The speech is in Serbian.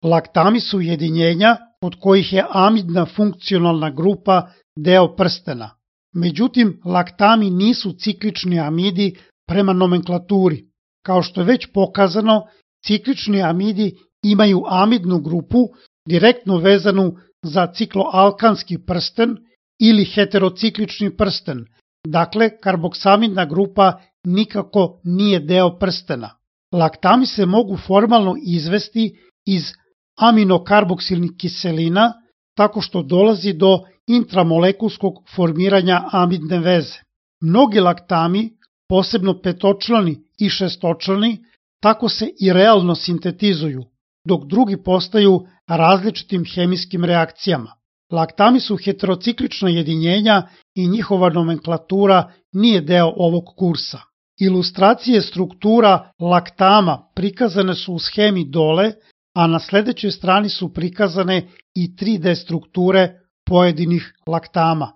Laktami su jedinjenja od kojih je amidna funkcionalna grupa deo prstena. Međutim, laktami nisu ciklični amidi prema nomenklaturi. Kao što je već pokazano, ciklični amidi imaju amidnu grupu direktno vezanu za cikloalkanski prsten ili heterociklični prsten, dakle karboksamidna grupa nikako nije deo prstena. Laktami se mogu formalno izvesti iz aminokarboksilnih kiselina tako što dolazi do intramolekulskog formiranja amidne veze. Mnogi laktami, posebno petočlani i šestočlani, tako se i realno sintetizuju, dok drugi postaju različitim hemijskim reakcijama. Laktami su heterociklična jedinjenja i njihova nomenklatura nije deo ovog kursa. Ilustracije struktura laktama prikazane su u schemi dole, a na sledećoj strani su prikazane i 3D strukture pojedinih laktama.